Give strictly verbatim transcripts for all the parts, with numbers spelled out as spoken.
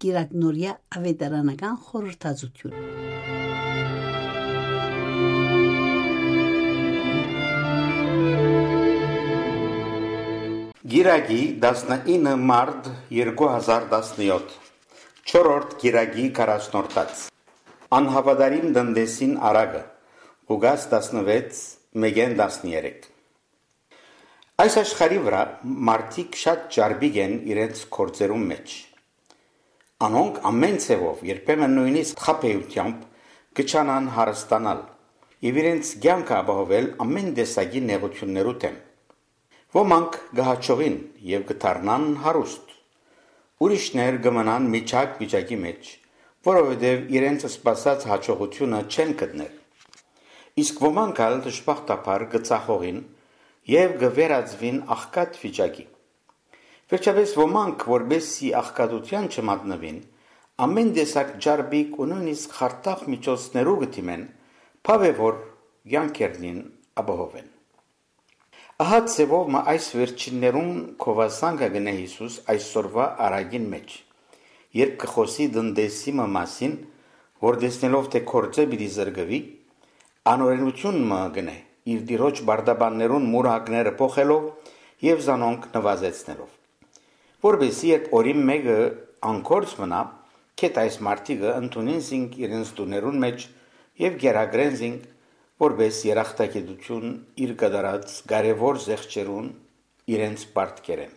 Կիրակնորեայ աւետարանական խորհրդածութիւն։ Կիրակի, տասնինը մարտ երկու հազար տասնեօթ, չորրորդ կիրակի քառասնորդաց։ Անհաւատարիմ տնտեսին արագը, Ղուկաս տասնվեց, մէկէն տասներեք։ Այս աշխարհի վրայ մարդիկ շատ ճարպիկ են իրենց գործերուն մէջ։ Անոնք ամէն ձեւով, երբեմն նոյնիսկ խաբէութեամբ, կը ջանան հարստանալ եւ իրենց կեանքը ապահովել ամէն տեսակի նեղութիւններու դէմ։ Ոմանք կը յաջողին եւ կը դառնան հարուստ։ Ուրիշներ կը մնան միջակ վիճակի մէջ, որովհետեւ իրենց սպասած յաջողութիւնը չեն գտներ։ Իսկ ոմանք ալ դժբախտաբար կը ծախողին եւ կը վերածուին աղքատ վիճակի։ Վերջապէս, ոմանք, որպէս զի աղքատութեան չմատնուին, ամէն տեսակ ճարպիկ ու նոյնիսկ խարդախ միջոցներու կը դիմեն, բաւ է որ կեանքերնին ապահովեն։ Ահա ձեւով մը այս վերջիններուն գովասանքը կ'ընէ Յիսուս այսօրուայ առակին մէջ, երբ կը խօսի տնտեսի մը մասին, որ տեսնելով թէ գործէ պիտի զրկուի, անօրենութիւն մը կ'ընէ, իր տիրոջ պարտապաններուն մուրհակները փոխելով եւ զանոնք նուազեցնելով։ Որպէս երբ օրին մէկը անգործ մնայ, գէթ այս մարդիկը ընդունին զինք իրենց տուներուն մէջ եւ կերակրեն զինք, որպէս երախտագիտութիւն իր կատարած կարեւոր զեղչերուն իրենց պարտքերէն։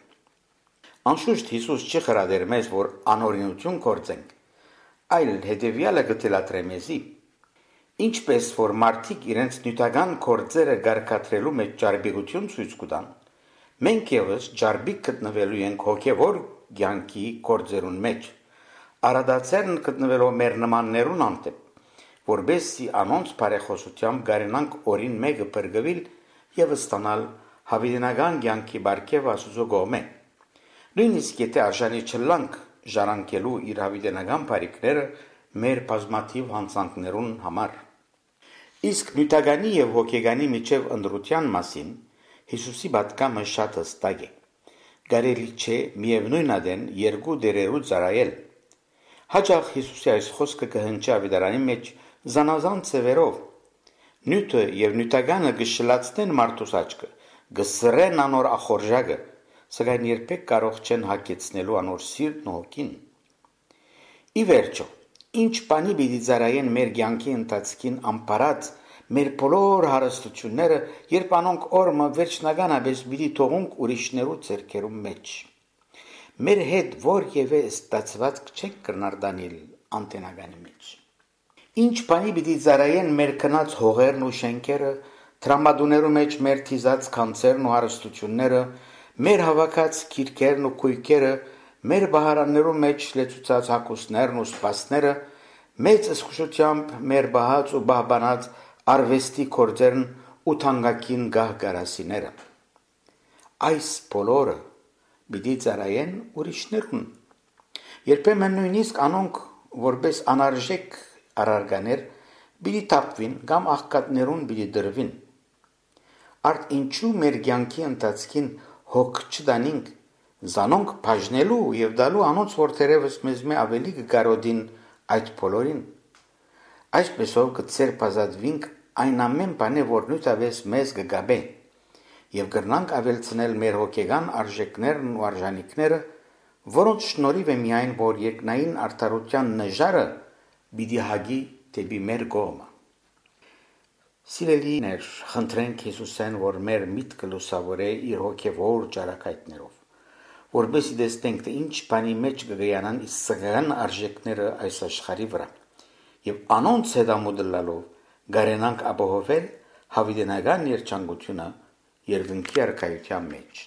Անշուշտ Յիսուս չի խրատեր մեզ, որ անօրինութիւն գործենք, այլ հետեւեալը կը թելադրէ մեզի։ Ինչպէս որ մարդիկ իրենց նիւթական գործերը կարգադրելու մէջ ճարպիկութիւն ցոյց կու տան, մենք եւս ճարպիկ գտնուելու ենք հոգեւոր կեանքի գործերուն մէջ, առատաձեռն գտնուելով մեր նմաններուն հանդէպ, որպէս զի անոնց բարեխօսութեամբ կարենանք օրին մէկը փրկուիլ եւ ստանալ յաւիտենական կեանքի պարգեւը Աստուծոյ կողմէ, նոյնիսկ եթէ արժանի չըլլանք ժառանգելու իր յաւիտենական բարիքները մեր բազմաթիւ յանցանքներուն համար։ Իսկ նիւթականի եւ հոգեկանի միջեւ ընտրութեան մասին Յիսուսի պատգամը շատ յստակ է։ Կարելի չէ միեւնոյն ատեն երկու տէրերու ծառայել։ Յաճախ Յիսուսի այս խօսքը կը հնչի աւետարանի մէջ զանազան ձեւերով։ Նիւթը եւ նիւթականը կը շլացնեն մարդուս աչքը, կը սրեն անոր ախորժակը, սակայն երբեք կարող չեն յագեցնելու անոր սիրտն ու հոգին։ Ի վերջո, ինչ բանի պիտի ծառայեն մեր կեանքի ընթացքին ամբարած մեր բոլոր հարստությունները, երբ անոնք օր մը վերջնականապէս պիտի թողունք ուրիշներու ձեռքերուն մէջ։ Մեր հետ որեւէ ստացուածք չենք կրնար տանիլ անտենականի մէջ։ Ինչ բանի պիտի ծառայեն մեր գնած հողերն ու շէնքերը, դրամատուներու մէջ մեր դիզած գանձերն ու հարստությունները, մեր հաւաքած գիրքերն ու գոյքերը, մեր պահարաններու մէջ լեցուցած հագուստներն ու սպասները, մեծ զգուշութեամբ մեր պահած ու պահպանած արուեստի գործերն ու թանկագին գահ կարասիները։ Այս բոլորը պիտի ծառայեն ուրիշներուն։ Երբեմն նոյնիսկ անոնք, որպէս անարժեք առարկաներ, պիտի թափուին կամ աղքատներուն պիտի տրուին։ Արդ ինչու մեր կեանքի ընթացքին հոգ չտանինք, զանոնք բաժնելու եւ տալու անոնց, որ թերեւս մեզմէ աւելի կը կարօտին այդ բոլորին։ Այսպէսով կը ձերբազատուինք այն ամէն բանէ, որ նիւթապէս մեզ կը կապէ, եւ կրնանք աւելցնել մեր հոգեկան արժէքներն ու արժանիքները, որոնց շնորհիւ է միայն, որ երկնային արդարութեան նժարը պիտի հագի դէպի մեր կողմը։ Սիրելիներ, խնդրենք Յիսուսէն, որ մեր միտքը լուսաւորէ իր հոգեվոր ճառագայթներով, որպէս զի տեսնենք, թէ ինչ բանի մէջ կը գայանան իսկ սակական արժէքները այս աշխարհի վրայ, եւ անոնց հետամուտ ըլլալով կարենանք ապահովել յաւիտենական երջանկութիւնը երկնքի արքայութեան մէջ։